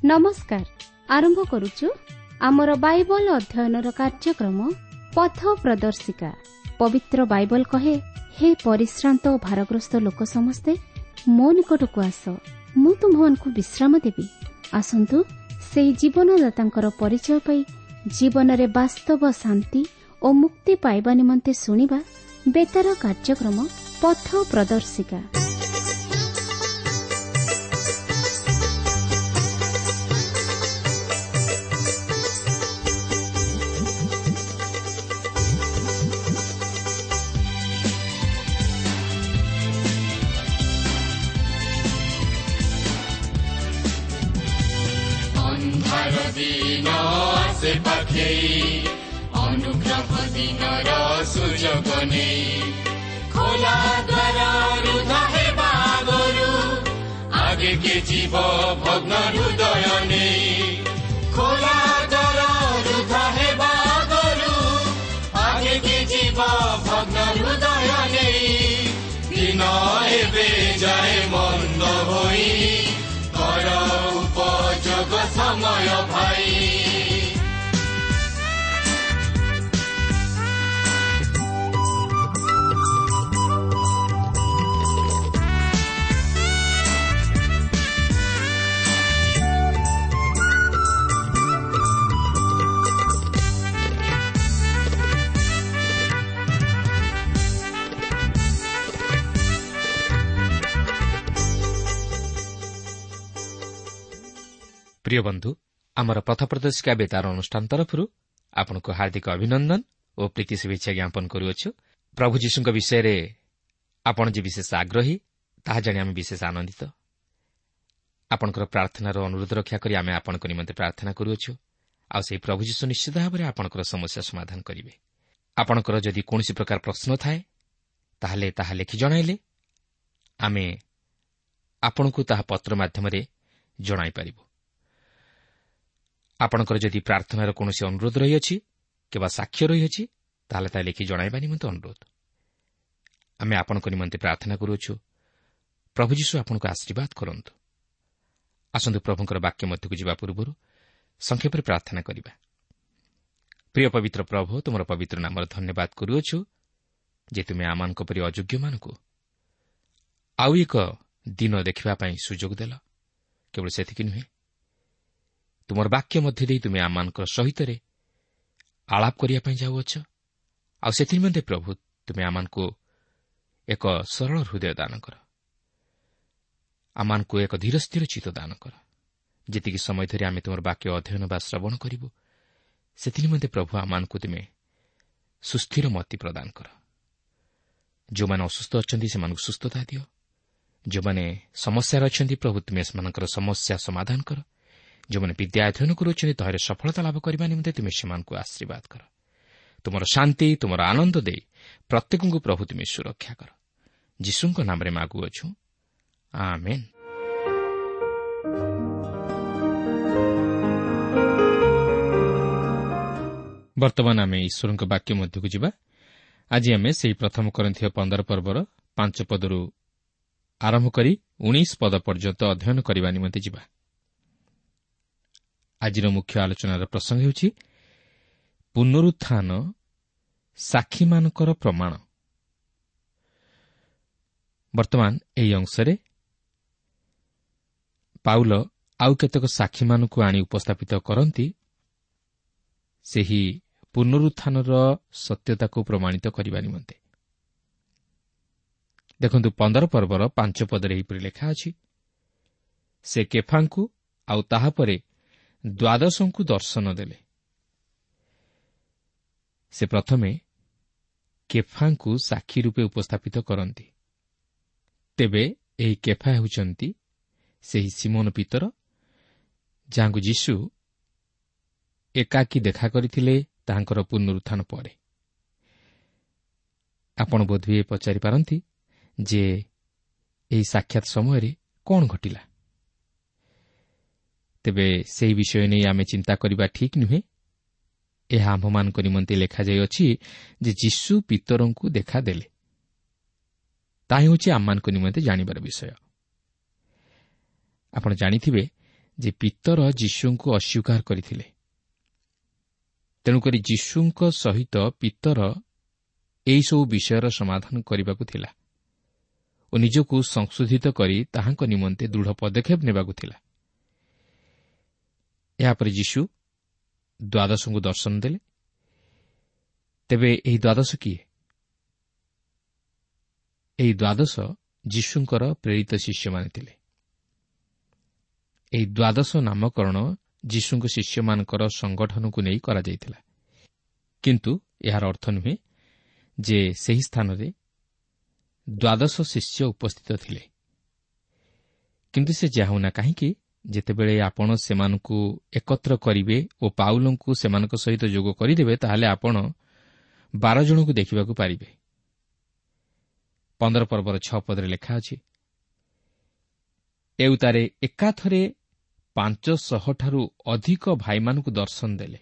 ନମସ୍କାର। ଆରମ୍ଭ କରୁଛୁ ଆମର ବାଇବଲ ଅଧ୍ୟୟନର କାର୍ଯ୍ୟକ୍ରମ ପଥ ପ୍ରଦର୍ଶିକା। ପବିତ୍ର ବାଇବଲ କହେ, ହେ ପରିଶ୍ରାନ୍ତ ଓ ଭାରଗ୍ରସ୍ତ ଲୋକ ସମସ୍ତେ ମୋ ନିକଟକୁ ଆସ, ମୁଁ ତୁମ୍ଭମାନଙ୍କୁ ବିଶ୍ରାମ ଦେବି। ଆସନ୍ତୁ ସେହି ଜୀବନଦାତାଙ୍କର ପରିଚୟ ପାଇ ଜୀବନରେ ବାସ୍ତବ ଶାନ୍ତି ଓ ମୁକ୍ତି ପାଇବା ନିମନ୍ତେ ଶୁଣିବା ବେତାର କାର୍ଯ୍ୟକ୍ରମ ପଥ ପ୍ରଦର୍ଶିକା। ଦିନ ଆସେ ପାଖେଇ, ଅନୁଗ୍ରହ ଦିନର ସୁଯୋଗ ନେଇ, ଖୋଲା ଦ୍ୱାର ରୁଦ୍ଧ ହେବା ଆଗରୁ ଆଗେ କେ ଯିବ ଭଗ୍ନ ହୃଦୟ ନେଇ। ଖୋଲା ଦ୍ୱାର ରୁଦ୍ଧ ହେବା ଆଗରୁ ଆଗେ କେ ଯିବ ଭଗ୍ନ ହୃଦୟ ନେଇ। ଦିନ ଏବେ ଯାଏ ମନ୍ଦ ହୋଇ, କର ଉପଯୋଗ ସମୟ ଭାଇ। ପ୍ରିୟ ବନ୍ଧୁ, ଆମର ପଥ ପ୍ରଦର୍ଶିକା ବେତାର ଅନୁଷ୍ଠାନ ତରଫରୁ ଆପଣଙ୍କୁ ହାର୍ଦ୍ଦିକ ଅଭିନନ୍ଦନ ଓ ପ୍ରୀତି ଶୁଭେଚ୍ଛା ଜ୍ଞାପନ କରୁଅଛୁ। ପ୍ରଭୁ ଯୀଶୁଙ୍କ ବିଷୟରେ ଆପଣ ଯେ ବିଶେଷ ଆଗ୍ରହୀ ତାହା ଜାଣି ଆମେ ବିଶେଷ ଆନନ୍ଦିତ। ଆପଣଙ୍କର ପ୍ରାର୍ଥନାର ଅନୁରୋଧ ରକ୍ଷା କରି ଆମେ ଆପଣଙ୍କ ନିମନ୍ତେ ପ୍ରାର୍ଥନା କରୁଅଛୁ, ଆଉ ସେହି ପ୍ରଭୁ ଯୀଶୁ ନିଶ୍ଚିତ ଭାବରେ ଆପଣଙ୍କର ସମସ୍ୟା ସମାଧାନ କରିବେ। ଆପଣଙ୍କର ଯଦି କୌଣସି ପ୍ରକାର ପ୍ରଶ୍ନ ଥାଏ ତାହେଲେ ତାହା ଲେଖି ଜଣାଇଲେ ଆମେ ଆପଣଙ୍କୁ ତାହା ପତ୍ର ମାଧ୍ୟମରେ ଜଣାଇପାରିବୁ। ଆପଣଙ୍କର ଯଦି ପ୍ରାର୍ଥନାର କୌଣସି ଅନୁରୋଧ ରହିଅଛି କିମ୍ବା ସାକ୍ଷ୍ୟ ରହିଅଛି ତାହେଲେ ତାହା ଲେଖି ଜଣାଇବା ନିମନ୍ତେ ଅନୁରୋଧ। ଆମେ ଆପଣଙ୍କ ନିମନ୍ତେ ପ୍ରାର୍ଥନା କରୁଅଛୁ। ପ୍ରଭୁ ଯୀଶୁ ଆପଣଙ୍କୁ ଆଶୀର୍ବାଦ କରନ୍ତୁ। ଆସନ୍ତୁ ପ୍ରଭୁଙ୍କର ବାକ୍ୟ ମଧ୍ୟକୁ ଯିବା ପୂର୍ବରୁ ସଂକ୍ଷେପରେ ପ୍ରାର୍ଥନା କରିବା। ପ୍ରିୟ ପବିତ୍ର ପ୍ରଭୁ, ତୁମର ପବିତ୍ର ନାମର ଧନ୍ୟବାଦ କରୁଅଛୁ ଯେ ତୁମେ ଆମମାନଙ୍କ ପରି ଅଯୋଗ୍ୟମାନଙ୍କୁ ଆଉ ଏକ ଦିନ ଦେଖିବା ପାଇଁ ସୁଯୋଗ ଦେଲ। କେବଳ ସେତିକି ନୁହେଁ, ତୁମର ବାକ୍ୟ ମଧ୍ୟ ଦେଇ ତୁମେ ଆମମାନଙ୍କ ସହିତରେ ଆଳାପ କରିବା ପାଇଁ ଯାଉଅଛ, ଆଉ ସେଥିନିମନ୍ତେ ପ୍ରଭୁ ତୁମେ ଆମମାନଙ୍କୁ ଏକ ସରଳ ହୃଦୟ ଦାନ କର, ଆମମାନଙ୍କୁ ଏକ ଧୀର ସ୍ଥିର ଚିତ୍ତ ଦାନ କର। ଯେତିକି ସମୟ ଧରି ଆମେ ତୁମର ବାକ୍ୟ ଅଧ୍ୟୟନ ବା ଶ୍ରବଣ କରିବୁ ସେଥିନିମନ୍ତେ ପ୍ରଭୁ ଆମମାନଙ୍କୁ ତୁମେ ସୁସ୍ଥିର ମତି ପ୍ରଦାନ କର। ଯେଉଁମାନେ ଅସୁସ୍ଥ ଅଛନ୍ତି ସେମାନଙ୍କୁ ସୁସ୍ଥତା ଦିଅ, ଯେଉଁମାନେ ସମସ୍ୟାରେ ଅଛନ୍ତି ପ୍ରଭୁ ତୁମେ ସେମାନଙ୍କର ସମସ୍ୟା ସମାଧାନ କର, ଯେଉଁମାନେ ବିଦ୍ୟା ଅଧ୍ୟୟନ କରୁଅଛନ୍ତି ତାହାରେ ସଫଳତା ଲାଭ କରିବା ନିମନ୍ତେ ତୁମେ ସେମାନଙ୍କୁ ଆଶୀର୍ବାଦ କର। ତୁମର ଶାନ୍ତି, ତୁମର ଆନନ୍ଦ ଦେଇ ପ୍ରତ୍ୟେକଙ୍କୁ ପ୍ରଭୁ ତୁମେ ସୁରକ୍ଷା କର। ଯୀଶୁଙ୍କ ନାମରେ ମାଗୁଅଛୁ, ଆମେନ୍। ବର୍ତ୍ତମାନ ଆମେ ଈଶ୍ୱରଙ୍କ ବାକ୍ୟ ମଧ୍ୟକୁ ଯିବା। ଆଜି ଆମେ ସେହି ପ୍ରଥମ କରିନ୍ଥୀୟ 15 ପର୍ବର 5 ପଦରୁ ଆରମ୍ଭ କରି 19 ପଦ ପର୍ଯ୍ୟନ୍ତ ଅଧ୍ୟୟନ କରିବା ନିମନ୍ତେ ଯିବା। ଆଜିର ମୁଖ୍ୟ ଆଲୋଚନାର ପ୍ରସଙ୍ଗ ହେଉଛି ପୁନରୁତ୍ଥାନ ସାକ୍ଷୀମାନଙ୍କର ପ୍ରମାଣ। ବର୍ତ୍ତମାନ ଏହି ଅଂଶରେ ପାଉଲ ଆଉ କେତେକ ସାକ୍ଷୀମାନଙ୍କୁ ଆଣି ଉପସ୍ଥାପିତ କରନ୍ତି ସେହି ପୁନରୁତ୍ଥାନର ସତ୍ୟତାକୁ ପ୍ରମାଣିତ କରିବା ନିମନ୍ତେ। ଦେଖନ୍ତୁ 15 ପର୍ବର 5 ପଦରେ ଏହିପରି ଲେଖା ଅଛି, ସେ କେଫାଙ୍କୁ ଆଉ ତାହାପରେ ଦ୍ୱାଦଶଙ୍କୁ ଦର୍ଶନ ଦେଲେ। ସେ ପ୍ରଥମେ କେଫାଙ୍କୁ ସାକ୍ଷୀ ରୂପେ ଉପସ୍ଥାପିତ କରନ୍ତି। ତେବେ ଏହି କେଫା ହେଉଛନ୍ତି ସେହି ସିମୋନ ପିତର, ଯାହାଙ୍କୁ ଯୀଶୁ ଏକାକୀ ଦେଖା କରିଥିଲେ ତାହାଙ୍କର ପୁନରୁତ୍ଥାନ ପରେ। ଆପଣ ବୋଧହୁଏ ପଚାରିପାରନ୍ତି ଯେ ଏହି ସାକ୍ଷାତ ସମୟରେ କ'ଣ ଘଟିଲା? ତେବେ ସେହି ବିଷୟ ନେଇ ଆମେ ଚିନ୍ତା କରିବା ଠିକ୍ ନୁହେଁ। ଏହା ଆମ୍ଭମାନଙ୍କ ନିମନ୍ତେ ଲେଖାଯାଇଅଛି ଯେ ଯୀଶୁ ପିତରଙ୍କୁ ଦେଖାଦେଲେ। ତାହା ହେଉଛି ଆମମାନଙ୍କ ନିମନ୍ତେ ଜାଣିବାର ବିଷୟ। ଆପଣ ଜାଣିଥିବେ ଯେ ପିତର ଯୀଶୁଙ୍କୁ ଅସ୍ୱୀକାର କରିଥିଲେ। ତେଣୁକରି ଯୀଶୁଙ୍କ ସହିତ ପିତର ଏହିସବୁ ବିଷୟର ସମାଧାନ କରିବାକୁ ଥିଲା ଓ ନିଜକୁ ସଂଶୋଧିତ କରି ତାହାଙ୍କ ନିମନ୍ତେ ଦୃଢ଼ ପଦକ୍ଷେପ ନେବାକୁ ଥିଲା। ଏହାପରେ ଯୀଶୁ ଦ୍ୱାଦଶଙ୍କୁ ଦର୍ଶନ ଦେଲେ। ତେବେ ଏହି ଦ୍ୱାଦଶ କିଏ? ଏହି ଦ୍ୱାଦଶ ଯୀଶୁଙ୍କର ପ୍ରେରିତ ଶିଷ୍ୟମାନେ ଥିଲେ। ଏହି ଦ୍ୱାଦଶ ନାମକରଣ ଯୀଶୁଙ୍କ ଶିଷ୍ୟମାନଙ୍କର ସଂଗଠନକୁ ନେଇ କରାଯାଇଥିଲା, କିନ୍ତୁ ଏହାର ଅର୍ଥ ନୁହେଁ ଯେ ସେହି ସ୍ଥାନରେ ଦ୍ୱାଦଶ ଶିଷ୍ୟ ଉପସ୍ଥିତ ଥିଲେ। କିନ୍ତୁ ସେ ଯାହା ହେଉନା କାହିଁକି, ଯେତେବେଳେ ଆପଣ ସେମାନଙ୍କୁ ଏକତ୍ର କରିବେ ଓ ପାଉଲଙ୍କୁ ସେମାନଙ୍କ ସହିତ ଯୋଗ କରିଦେବେ, ତାହେଲେ ଆପଣ 12 ଜଣଙ୍କୁ ଦେଖିବାକୁ ପାରିବେ। 15 ପର୍ବର 6 ପଦରେ ଲେଖା ଅଛି, ଏଉତାରେ ଏକାଥରେ 500 ଠାରୁ ଅଧିକ ଭାଇମାନଙ୍କୁ ଦର୍ଶନ ଦେଲେ।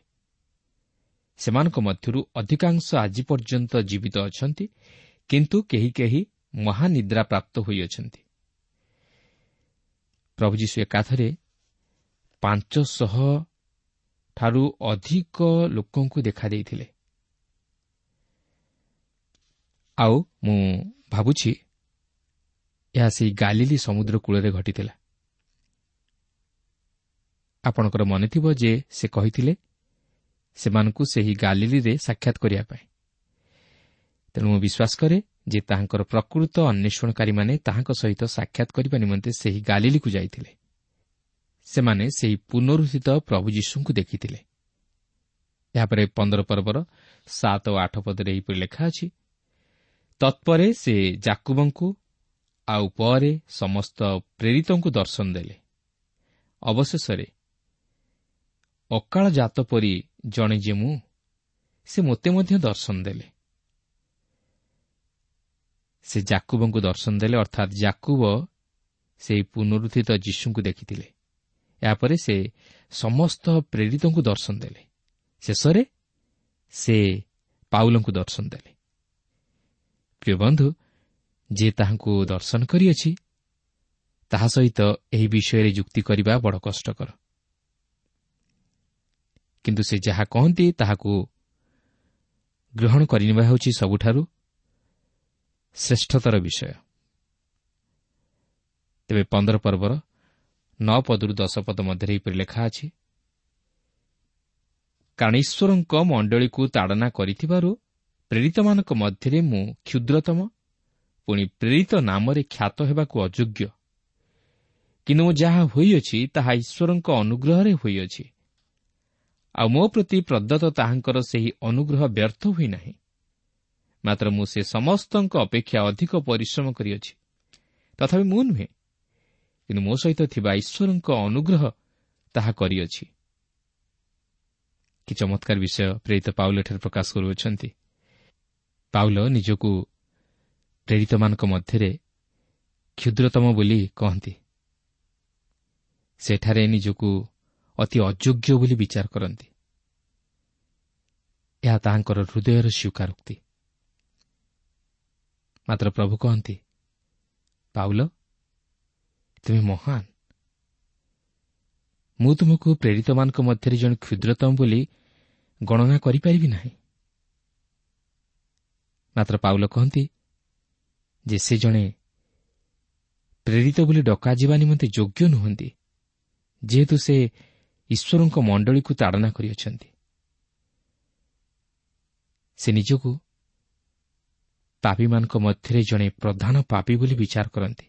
ସେମାନଙ୍କ ମଧ୍ୟରୁ ଅଧିକାଂଶ ଆଜି ପର୍ଯ୍ୟନ୍ତ ଜୀବିତ ଅଛନ୍ତି, କିନ୍ତୁ କେହି କେହି ମହାନିଦ୍ରା ପ୍ରାପ୍ତ ହୋଇଅଛନ୍ତି। ପ୍ରଭୁ ଯୀଶୁ ଏକାଥରେ 500 ଠାରୁ ଅଧିକ ଲୋକଙ୍କୁ ଦେଖାଦେଇଥିଲେ। ଆଉ ମୁଁ ଭାବୁଛି ଏହା ସେହି ଗାଲିଲି ସମୁଦ୍ର କୂଳରେ ଘଟିଥିଲା। ଆପଣଙ୍କର ମନେଥିବ ଯେ ସେ କହିଥିଲେ ସେମାନଙ୍କୁ ସେହି ଗାଲିଲିରେ ସାକ୍ଷାତ କରିବା ପାଇଁ। ତେଣୁ ମୁଁ ବିଶ୍ୱାସ କରେ ଯେ ତାହାଙ୍କର ପ୍ରକୃତ ଅନ୍ୱେଷଣକାରୀମାନେ ତାହାଙ୍କ ସହିତ ସାକ୍ଷାତ କରିବା ନିମନ୍ତେ ସେହି ଗାଲିଲିକୁ ଯାଇଥିଲେ। ସେମାନେ ସେହି ପୁନରୁତ୍ଥିତ ପ୍ରଭୁ ଯୀଶୁଙ୍କୁ ଦେଖିଥିଲେ। ଏହାପରେ 15 ପର୍ବର 7 ଓ 8 ପଦରେ ଏହିପରି ଲେଖା ଅଛି, ତତ୍ପରେ ସେ ଯାକୁବଙ୍କୁ ଆଉ ପରେ ସମସ୍ତ ପ୍ରେରିତଙ୍କୁ ଦର୍ଶନ ଦେଲେ। ଅବଶେଷରେ ଅକାଳ ଜାତ ପରି ଜଣେ ଯେ ମୁଁ, ସେ ମୋତେ ମଧ୍ୟ ଦର୍ଶନ ଦେଲେ। ସେ ଯାକୁବଙ୍କୁ ଦର୍ଶନ ଦେଲେ, ଅର୍ଥାତ୍ ଯାକୁବ ସେହି ପୁନରୁତ୍ଥିତ ଯୀଶୁଙ୍କୁ ଦେଖିଥିଲେ। ଏହାପରେ ସେ ସମସ୍ତ ପ୍ରେରିତଙ୍କୁ ଦର୍ଶନ ଦେଲେ। ଶେଷରେ ସେ ପାଉଲଙ୍କୁ ଦର୍ଶନ ଦେଲେ। ପ୍ରିୟ ବନ୍ଧୁ, ଯିଏ ତାହାଙ୍କୁ ଦର୍ଶନ କରିଅଛି ତାହା ସହିତ ଏହି ବିଷୟରେ ଯୁକ୍ତି କରିବା ବଡ଼ କଷ୍ଟକର। କିନ୍ତୁ ସେ ଯାହା କହନ୍ତି ତାହାକୁ ଗ୍ରହଣ କରିନେବା ହେଉଛି ସବୁଠାରୁ ଶ୍ରେଷ୍ଠତର ବିଷୟ। ତେବେ 15 ପର୍ବର 9 ପଦରୁ 10 ପଦ ମଧ୍ୟରେ ଏହିପରି ଲେଖା ଅଛି, କାରଣ ଈଶ୍ୱରଙ୍କ ମଣ୍ଡଳୀକୁ ତାଡ଼ନା କରିଥିବାରୁ ପ୍ରେରିତମାନଙ୍କ ମଧ୍ୟରେ ମୁଁ କ୍ଷୁଦ୍ରତମ, ପୁଣି ପ୍ରେରିତ ନାମରେ ଖ୍ୟାତ ହେବାକୁ ଅଯୋଗ୍ୟ। କିନ୍ତୁ ମୁଁ ଯାହା ହୋଇଅଛି ତାହା ଈଶ୍ୱରଙ୍କ ଅନୁଗ୍ରହରେ ହୋଇଅଛି, ଆଉ ମୋ ପ୍ରତି ପ୍ରଦତ୍ତ ତାହାଙ୍କର ସେହି ଅନୁଗ୍ରହ ବ୍ୟର୍ଥ ହୋଇନାହିଁ। ମାତ୍ର ମୁଁ ସେ ସମସ୍ତଙ୍କ ଅପେକ୍ଷା ଅଧିକ ପରିଶ୍ରମ କରିଅଛି, ତଥାପି ମୁଁ ନୁହେଁ, କିନ୍ତୁ ମୋ ସହିତ ଥିବା ଈଶ୍ୱରଙ୍କ ଅନୁଗ୍ରହ ତାହା କରିଅଛି। କି ଚମତ୍କାର ବିଷୟ ପ୍ରେରିତ ପାଉଲ ଏଠାରେ ପ୍ରକାଶ କରୁଅଛନ୍ତି। ପାଉଲ ନିଜକୁ ପ୍ରେରିତମାନଙ୍କ ମଧ୍ୟରେ କ୍ଷୁଦ୍ରତମ ବୋଲି କହନ୍ତି। ସେଠାରେ ନିଜକୁ ଅତି ଅଯୋଗ୍ୟ ବୋଲି ବିଚାର କରନ୍ତି। ଏହା ତାହାଙ୍କର ହୃଦୟର ସ୍ୱୀକାରୋକ୍ତି। ମାତ୍ର ପ୍ରଭୁ କହନ୍ତି, ପାଉଲ, ତୁମେ ମହାନ। ମୁଁ ତୁମକୁ ପ୍ରେରିତମାନଙ୍କ ମଧ୍ୟରେ ଜଣେ କ୍ଷୁଦ୍ରତମ ବୋଲି ଗଣନା କରିପାରିବି ନାହିଁ। ମାତ୍ର ପାଉଲ କହନ୍ତି ଯେ ସେ ଜଣେ ପ୍ରେରିତ ବୋଲି ଡକାଯିବା ନିମନ୍ତେ ଯୋଗ୍ୟ ନୁହନ୍ତି, ଯେହେତୁ ସେ ଈଶ୍ୱରଙ୍କ ମଣ୍ଡଳୀକୁ ତାଡ଼ନା କରିଅଛନ୍ତି। ସେ ନିଜକୁ ପାପୀମାନଙ୍କ ମଧ୍ୟରେ ଜଣେ ପ୍ରଧାନ ପାପୀ ବୋଲି ବିଚାର କରନ୍ତି।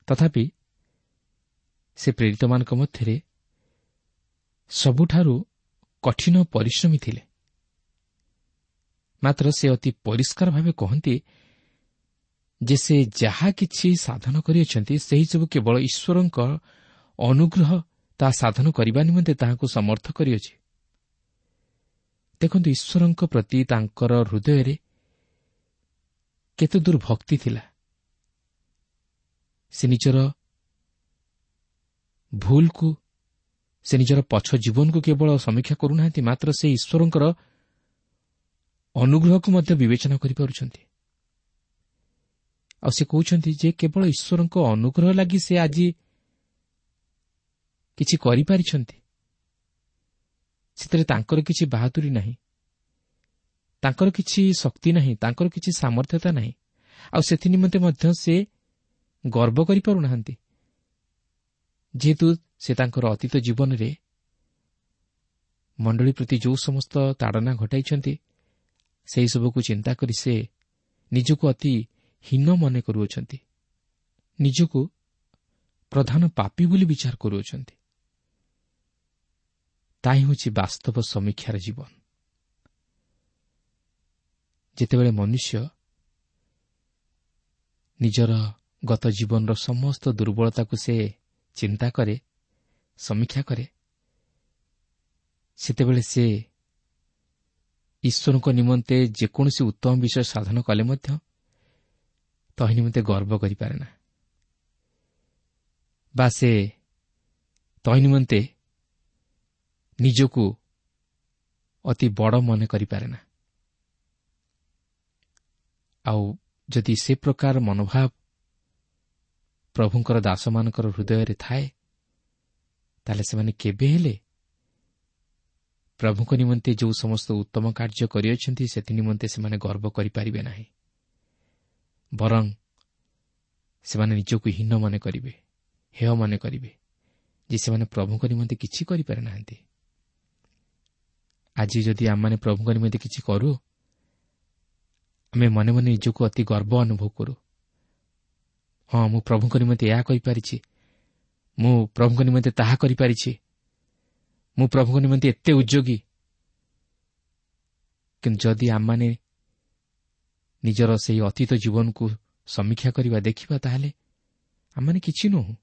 ତଥାପି ସେ ପ୍ରେରିତମାନଙ୍କ ମଧ୍ୟରେ ସବୁଠାରୁ କଠିନ ପରିଶ୍ରମୀ ଥିଲେ। ମାତ୍ର ସେ ଅତି ପରିଷ୍କାର ଭାବେ କହନ୍ତି ଯେ ସେ ଯାହା କିଛି ସାଧନ କରିଅଛନ୍ତି ସେହିସବୁ କେବଳ ଈଶ୍ୱରଙ୍କ ଅନୁଗ୍ରହ ତାହା ସାଧନ କରିବା ନିମନ୍ତେ ତାହାକୁ ସମର୍ଥ କରିଅଛି। ଦେଖନ୍ତୁ, ଈଶ୍ୱରଙ୍କ ପ୍ରତି ତାଙ୍କର ହୃଦୟରେ କେତେ ଦୂର ଭକ୍ତି ଥିଲା। ସେ ନିଜର ଭୁଲକୁ, ସେ ନିଜର ପଛ ଜୀବନକୁ କେବଳ ସମୀକ୍ଷା କରୁନାହାନ୍ତି, ମାତ୍ର ସେ ଈଶ୍ୱରଙ୍କର ଅନୁଗ୍ରହକୁ ମଧ୍ୟ ବିବେଚନା କରିପାରୁଛନ୍ତି। ଆଉ ସେ କହୁଛନ୍ତି ଯେ କେବଳ ଈଶ୍ୱରଙ୍କ ଅନୁଗ୍ରହ ଲାଗି ସେ ଆଜି କିଛି କରିପାରିଛନ୍ତି, ସେଥିରେ ତାଙ୍କର କିଛି ବାହାଦୁରୀ ନାହିଁ, ତାଙ୍କର କିଛି ଶକ୍ତି ନାହିଁ, ତାଙ୍କର କିଛି ସାମର୍ଥ୍ୟତା ନାହିଁ। ଆଉ ସେଥି ନିମନ୍ତେ ମଧ୍ୟ ସେ ଗର୍ବ କରିପାରୁନାହାନ୍ତି, ଯେହେତୁ ସେ ତାଙ୍କର ଅତୀତ ଜୀବନରେ ମଣ୍ଡଳୀ ପ୍ରତି ଯେଉଁ ସମସ୍ତ ତାଡ଼ନା ଘଟାଇଛନ୍ତି ସେହିସବୁକୁ ଚିନ୍ତା କରି ସେ ନିଜକୁ ଅତି ହୀନ ମନେ କରୁଅଛନ୍ତି, ନିଜକୁ ପ୍ରଧାନ ପାପୀ ବୋଲି ବିଚାର କରୁଅଛନ୍ତି। ତାହା ହେଉଛି ବାସ୍ତବ ସମୀକ୍ଷାର ଜୀବନ। ଯେତେବେଳେ ମନୁଷ୍ୟ ନିଜର ଗତ ଜୀବନର ସମସ୍ତ ଦୁର୍ବଳତାକୁ ସେ ଚିନ୍ତା କରେ, ସମୀକ୍ଷା କରେ, ସେତେବେଳେ ସେ ଈଶ୍ୱରଙ୍କ ନିମନ୍ତେ ଯେକୌଣସି ଉତ୍ତମ ବିଷୟ ସାଧନ କଲେ ମଧ୍ୟ ତହିଁ ନିମନ୍ତେ ଗର୍ବ କରିପାରେ ନା, ବା ସେ ତହିଁ ନିମନ୍ତେ ନିଜକୁ ଅତି ବଡ଼ ମନେ କରିପାରେ ନା। ଆଉ ଯଦି ସେ ପ୍ରକାର ମନୋଭାବ ପ୍ରଭୁଙ୍କର ଦାସମାନଙ୍କର ହୃଦୟରେ ଥାଏ, ତାହେଲେ ସେମାନେ କେବେ ହେଲେ ପ୍ରଭୁଙ୍କ ନିମନ୍ତେ ଯେଉଁ ସମସ୍ତ ଉତ୍ତମ କାର୍ଯ୍ୟ କରିଅଛନ୍ତି ସେଥି ନିମନ୍ତେ ସେମାନେ ଗର୍ବ କରିପାରିବେ ନାହିଁ, ବରଂ ସେମାନେ ନିଜକୁ ହୀନ ମନେ କରିବେ, ହେୟ ମନେ କରିବେ ଯେ ସେମାନେ ପ୍ରଭୁଙ୍କ ନିମନ୍ତେ କିଛି କରିପାରି ନାହାନ୍ତି। ଆଜି ଯଦି ଆମମାନେ ପ୍ରଭୁଙ୍କ ନିମନ୍ତେ କିଛି କରୁ, ଆମେ ମନେ ମନେ ନିଜକୁ ଅତି ଗର୍ବ ଅନୁଭବ କରୁ। ହଁ, ମୁଁ ପ୍ରଭୁଙ୍କ ନିମନ୍ତେ ଏହା କରିପାରିଛି, ମୁଁ ପ୍ରଭୁଙ୍କ ନିମନ୍ତେ ତାହା କରିପାରିଛି, ମୁଁ ପ୍ରଭୁଙ୍କ ନିମନ୍ତେ ଏତେ ଉଦ୍ୟୋଗୀ। କିନ୍ତୁ ଯଦି ଆମମାନେ ନିଜର ସେହି ଅତୀତ ଜୀବନକୁ ସମୀକ୍ଷା କରିବା, ଦେଖିବା, ତାହେଲେ ଆମମାନେ କିଛି ନୁହଁ।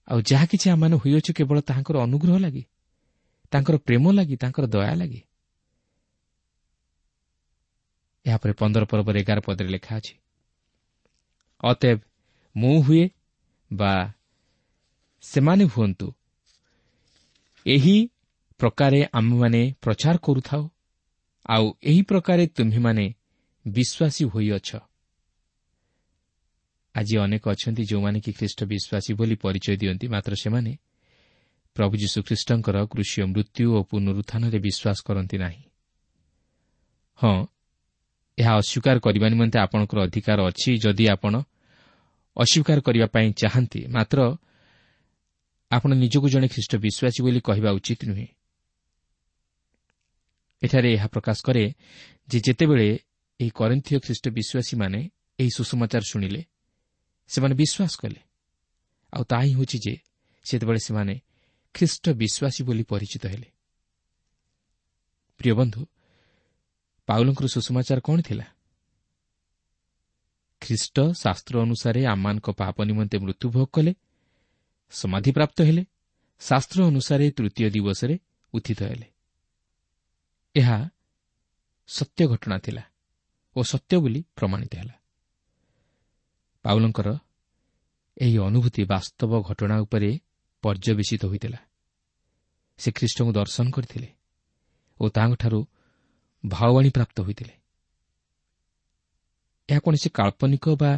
ଆଉ ଯାହା କିଛି ଆମମାନେ ହୋଇଅଛୁ କେବଳ ତାହାଙ୍କର ଅନୁଗ୍ରହ ଲାଗି, ତାଙ୍କର ପ୍ରେମ ଲାଗି, ତାଙ୍କର ଦୟା ଲାଗି। ଏହାପରେ 15 ପର୍ବରେ 11 ପଦରେ ଲେଖା ଅଛି, ଅତଏବ ମୁଁ ହୁଏ ବା ସେମାନେ ହୁଅନ୍ତୁ, ଏହି ପ୍ରକାରେ ଆମେମାନେ ପ୍ରଚାର କରୁଥାଉ, ଆଉ ଏହି ପ୍ରକାରେ ତୁମ୍ଭେମାନେ ବିଶ୍ୱାସୀ ହୋଇଅଛ। ଆଜି ଅନେକ ଅଛନ୍ତି ଯେଉଁମାନେ କି ଖ୍ରୀଷ୍ଟ ବିଶ୍ୱାସୀ ବୋଲି ପରିଚୟ ଦିଅନ୍ତି, ମାତ୍ର ସେମାନେ ପ୍ରଭୁ ଯୀଶୁଖ୍ରୀଷ୍ଟଙ୍କର କୃଷୀୟ ମୃତ୍ୟୁ ଓ ପୁନରୁତ୍ଥାନରେ ବିଶ୍ୱାସ କରନ୍ତି ନାହିଁ। ହଁ, ଏହା ଅସ୍ୱୀକାର କରିବା ନିମନ୍ତେ ଆପଣଙ୍କର ଅଧିକାର ଅଛି ଯଦି ଆପଣ ଅସ୍ୱୀକାର କରିବା ପାଇଁ ଚାହାନ୍ତି, ମାତ୍ର ଆପଣ ନିଜକୁ ଜଣେ ଖ୍ରୀଷ୍ଟ ବିଶ୍ୱାସୀ ବୋଲି କହିବା ଉଚିତ ନୁହେଁ। ଏଠାରେ ଏହା ପ୍ରକାଶ କରେ ଯେ ଯେତେବେଳେ ଏହି କରିନ୍ଥୀୟ ଖ୍ରୀଷ୍ଟ ବିଶ୍ୱାସୀମାନେ ଏହି ସୁସମାଚାର ଶୁଣିଲେ, ସେମାନେ ବିଶ୍ୱାସ କଲେ, ଆଉ ତାହା ହିଁ ହେଉଛି ଯେ ସେତେବେଳେ ସେମାନେ ଖ୍ରୀଷ୍ଟ ବିଶ୍ୱାସୀ ବୋଲି ପରିଚିତ ହେଲେ। ପ୍ରିୟ ବନ୍ଧୁ, ପାଉଲଙ୍କର ସୁସମାଚାର କ'ଣ ଥିଲା? ଖ୍ରୀଷ୍ଟ ଶାସ୍ତ୍ର ଅନୁସାରେ ଆମମାନଙ୍କ ପାପ ନିମନ୍ତେ ମୃତ୍ୟୁଭୋଗ କଲେ, ସମାଧିପ୍ରାପ୍ତ ହେଲେ, ଶାସ୍ତ୍ର ଅନୁସାରେ ତୃତୀୟ ଦିବସରେ ଉତ୍ଥିତ ହେଲେ। ଏହା ସତ୍ୟ ଘଟଣା ଥିଲା ଓ ସତ୍ୟ ବୋଲି ପ୍ରମାଣିତ ହେଲା। ପାଉଲଙ୍କର ଏହି ଅନୁଭୂତି ବାସ୍ତବ ଘଟଣା ଉପରେ ପର୍ଯ୍ୟବେସିତ ହୋଇଥିଲା। ସେ ଖ୍ରୀଷ୍ଟଙ୍କୁ ଦର୍ଶନ କରିଥିଲେ ଓ ତାହାଙ୍କଠାରୁ ଭାବବାଣୀ ପ୍ରାପ୍ତ ହୋଇଥିଲେ। ଏହା କୌଣସି କାଳ୍ପନିକ ବା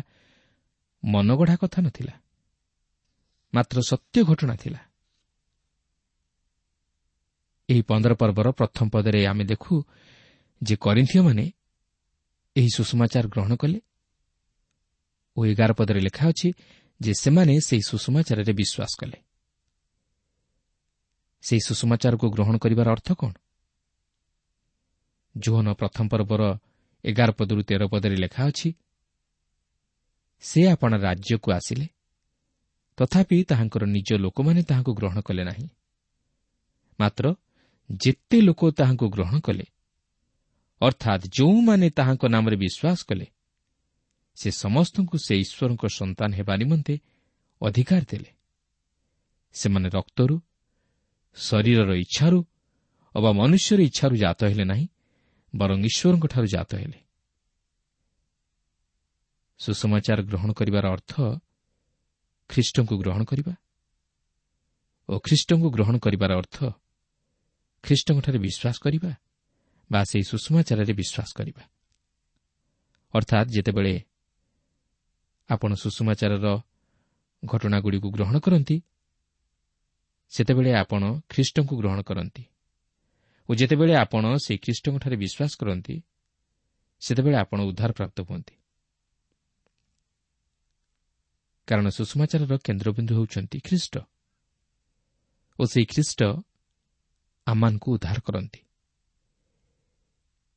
ମନଗଢ଼ା କଥା ନଥିଲା, ମାତ୍ର ସତ୍ୟ ଘଟଣା ଥିଲା। ଏହି 15 ପର୍ବର ପ୍ରଥମ ପଦରେ ଆମେ ଦେଖୁ ଯେ କରିନ୍ଥୀୟମାନେ ଏହି ସୁସମାଚାର ଗ୍ରହଣ କଲେ ଓ 11 ପଦରେ ଲେଖା ଅଛି ଯେ ସେମାନେ ସେହି ସୁସମାଚାରରେ ବିଶ୍ୱାସ କଲେ। ସେହି ସୁସମାଚାରକୁ ଗ୍ରହଣ କରିବାର ଅର୍ଥ କ'ଣ? ଯୋହନ ପ୍ରଥମ ପର୍ବର 11 ପଦରୁ 13 ପଦରେ ଲେଖା ଅଛି, ସେ ଆପଣା ରାଜ୍ୟକୁ ଆସିଲେ, ତଥାପି ତାହାଙ୍କର ନିଜ ଲୋକମାନେ ତାହାଙ୍କୁ ଗ୍ରହଣ କଲେ ନାହିଁ। ମାତ୍ର ଯେତେ ଲୋକ ତାହାଙ୍କୁ ଗ୍ରହଣ କଲେ, ଅର୍ଥାତ୍ ଯେଉଁମାନେ ତାହାଙ୍କ ନାମରେ ବିଶ୍ୱାସ କଲେ, ସେ ସମସ୍ତଙ୍କୁ ସେ ଈଶ୍ୱରଙ୍କ ସନ୍ତାନ ହେବା ନିମନ୍ତେ ଅଧିକାର ଦେଲେ। ସେମାନେ ରକ୍ତରୁ, ଶରୀରର ଇଚ୍ଛାରୁ ଅବା ମନୁଷ୍ୟର ଇଚ୍ଛାରୁ ଜାତ ହେଲେ ନାହିଁ, ବରଂ ଈଶ୍ୱରଙ୍କଠାରୁ ଜାତ ହେଲେ। ସୁସମାଚାର ଗ୍ରହଣ କରିବାର ଅର୍ଥ ଖ୍ରୀଷ୍ଟଙ୍କୁ ଗ୍ରହଣ କରିବା ଓ ଖ୍ରୀଷ୍ଟଙ୍କୁ ଗ୍ରହଣ କରିବାର ଅର୍ଥ ଖ୍ରୀଷ୍ଟଙ୍କଠାରେ ବିଶ୍ୱାସ କରିବା ବା ସେହି ସୁସମାଚାରରେ ବିଶ୍ୱାସ କରିବା। ଅର୍ଥାତ୍ ଯେତେବେଳେ ଆପଣ ସୁସମାଚାରର ଘଟଣାଗୁଡ଼ିକୁ ଗ୍ରହଣ କରନ୍ତି, ସେତେବେଳେ ଆପଣ ଖ୍ରୀଷ୍ଟଙ୍କୁ ଗ୍ରହଣ କରନ୍ତି ଓ ଯେତେବେଳେ ଆପଣ ସେହି ଖ୍ରୀଷ୍ଟଙ୍କଠାରେ ବିଶ୍ୱାସ କରନ୍ତି, ସେତେବେଳେ ଆପଣ ଉଦ୍ଧାର ପ୍ରାପ୍ତ ହୁଅନ୍ତି। କାରଣ ସୁଷମାଚାରର କେନ୍ଦ୍ରବିନ୍ଦୁ ହେଉଛନ୍ତି ଖ୍ରୀଷ୍ଟ ଓ ସେହି ଖ୍ରୀଷ୍ଟ ଆମମାନଙ୍କୁ ଉଦ୍ଧାର କରନ୍ତି।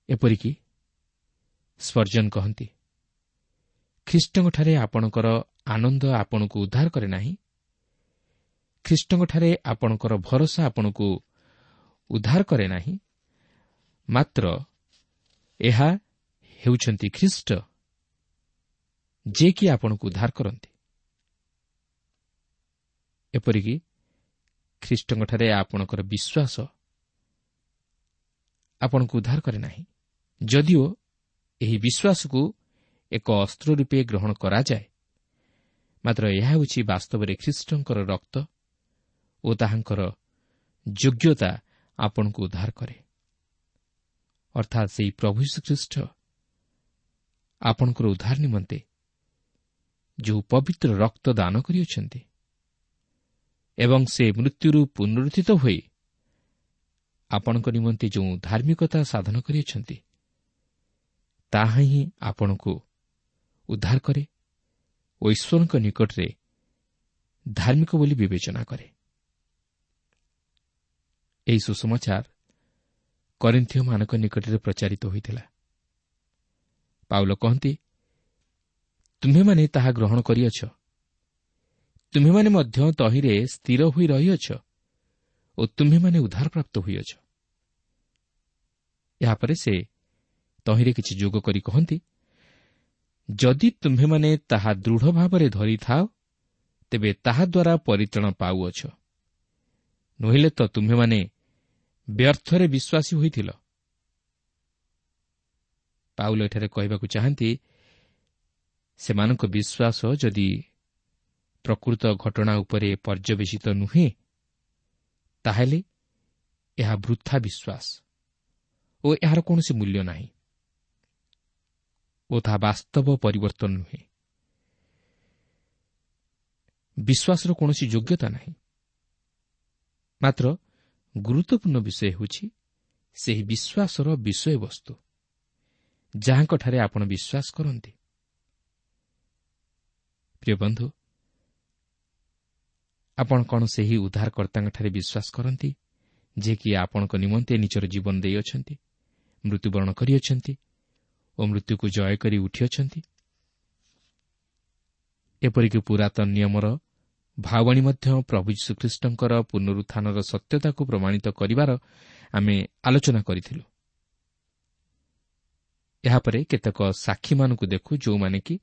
ଏପରିକି ସ୍ପର୍ଜନ କହନ୍ତି, ଖ୍ରୀଷ୍ଟଙ୍କଠାରେ ଆପଣଙ୍କର ଆନନ୍ଦ ଆପଣଙ୍କୁ ଉଦ୍ଧାର କରେ ନାହିଁ, ଖ୍ରୀଷ୍ଟଙ୍କଠାରେ ଆପଣଙ୍କର ଭରସା ଆପଣଙ୍କୁ ଉଦ୍ଧାର କରେ ନାହିଁ, ମାତ୍ର ଏହା ହେଉଛନ୍ତି ଖ୍ରୀଷ୍ଟ ଯିଏକି ଆପଣଙ୍କୁ ଉଦ୍ଧାର କରନ୍ତି। ଏପରିକି ଖ୍ରୀଷ୍ଟଙ୍କଠାରେ ଆପଣଙ୍କର ବିଶ୍ୱାସ ଆପଣଙ୍କୁ ଉଦ୍ଧାର କରେ ନାହିଁ, ଯଦିଓ ଏହି ବିଶ୍ୱାସକୁ ଏକ ଅସ୍ତ୍ର ରୂପେ ଗ୍ରହଣ କରାଯାଏ, ମାତ୍ର ଏହା ହେଉଛି ବାସ୍ତବରେ ଖ୍ରୀଷ୍ଟଙ୍କର ରକ୍ତ ଓ ତାହାଙ୍କର ଯୋଗ୍ୟତା ଆପଣଙ୍କୁ ଉଦ୍ଧାର କରେ। ଅର୍ଥାତ୍ ସେହି ପ୍ରଭୁ ଯୀଶୁଖ୍ରୀଷ୍ଟ ଆପଣଙ୍କର ଉଦ୍ଧାର ନିମନ୍ତେ ଯେଉଁ ପବିତ୍ର ରକ୍ତ ଦାନ କରିଅଛନ୍ତି ଏବଂ ସେ ମୃତ୍ୟୁରୁ ପୁନରୁତ୍ଥିତ ହୋଇ ଆପଣଙ୍କ ନିମନ୍ତେ ଯେଉଁ ଧାର୍ମିକତା ସାଧନ କରିଅଛନ୍ତି, ତାହା ହିଁ ଆପଣଙ୍କୁ ଉଦ୍ଧାର କରେ ଓ ଈଶ୍ୱରଙ୍କ ନିକଟରେ ଧାର୍ମିକ ବୋଲି ବିବେଚନା କରେ। ଏହି ସୁସମାଚାର କରିନ୍ଥୀୟମାନଙ୍କ ନିକଟରେ ପ୍ରଚାରିତ ହୋଇଥିଲା। ପାଉଲ କହନ୍ତି, ତୁମ୍ଭେମାନେ ତାହା ଗ୍ରହଣ କରିଅଛ, ତୁମ୍ଭେମାନେ ମଧ୍ୟ ତହିଁରେ ସ୍ଥିର ହୋଇ ରହିଅଛ ଓ ତୁମ୍ଭେମାନେ ଉଦ୍ଧାରପ୍ରାପ୍ତ ହୋଇଅଛ। ଏହାପରେ ସେ ତହିଁରେ କିଛି ଯୋଗ କରି କହନ୍ତି, ଯଦି ତୁମ୍ଭେମାନେ ତାହା ଦୃଢ଼ ଭାବରେ ଧରିଥାଅ ତେବେ ତାହାଦ୍ୱାରା ପରିତ୍ରାଣ ପାଉଅଛ, ନୋହିଲେ ତ ତୁମ୍ଭେମାନେ ବ୍ୟର୍ଥରେ ବିଶ୍ୱାସୀ ହୋଇଥିଲ। ପାଉଲ ଏଠାରେ କହିବାକୁ ଚାହାନ୍ତି, ସେମାନଙ୍କ ବିଶ୍ୱାସ ଯଦି ପ୍ରକୃତ ଘଟଣା ଉପରେ ପର୍ଯ୍ୟବେସିତ ନୁହେଁ, ତାହେଲେ ଏହା ବୃଥା ବିଶ୍ୱାସ ଓ ଏହାର କୌଣସି ମୂଲ୍ୟ ନାହିଁ ଓ ତାହା ବାସ୍ତବ ପରିବର୍ତ୍ତନ ନୁହେଁ। ବିଶ୍ୱାସର କୌଣସି ଯୋଗ୍ୟତା ନାହିଁ। ମାତ୍ର ଗୁରୁତ୍ୱପୂର୍ଣ୍ଣ ବିଷୟ ହେଉଛି ସେହି ବିଶ୍ୱାସର ବିଷୟବସ୍ତୁ ଯାହାଙ୍କଠାରେ ଆପଣ ବିଶ୍ୱାସ କରନ୍ତି। ପ୍ରିୟ ବନ୍ଧୁ, ଆପଣ କ'ଣ ସେହି ଉଦ୍ଧାରକର୍ତ୍ତାଙ୍କଠାରେ ବିଶ୍ୱାସ କରନ୍ତି ଯିଏକି ଆପଣଙ୍କ ନିମନ୍ତେ ନିଜର ଜୀବନ ଦେଇଅଛନ୍ତି, ମୃତ୍ୟୁବରଣ କରିଅଛନ୍ତି ଓ ମୃତ୍ୟୁକୁ ଜୟ କରି ଉଠିଅଛନ୍ତି? ଏପରିକି ପୁରାତନ ନିୟମର ଭାବବାଣୀ ମଧ୍ୟ ପ୍ରଭୁ ଯୀଶୁଖ୍ରୀଷ୍ଟଙ୍କର ପୁନରୁତ୍ଥାନର ସତ୍ୟତାକୁ ପ୍ରମାଣିତ କରିବାର ଆମେ ଆଲୋଚନା କରିଥିଲୁ। ଏହାପରେ କେତେକ ସାକ୍ଷୀମାନଙ୍କୁ ଦେଖୁ ଯେଉଁମାନେ କି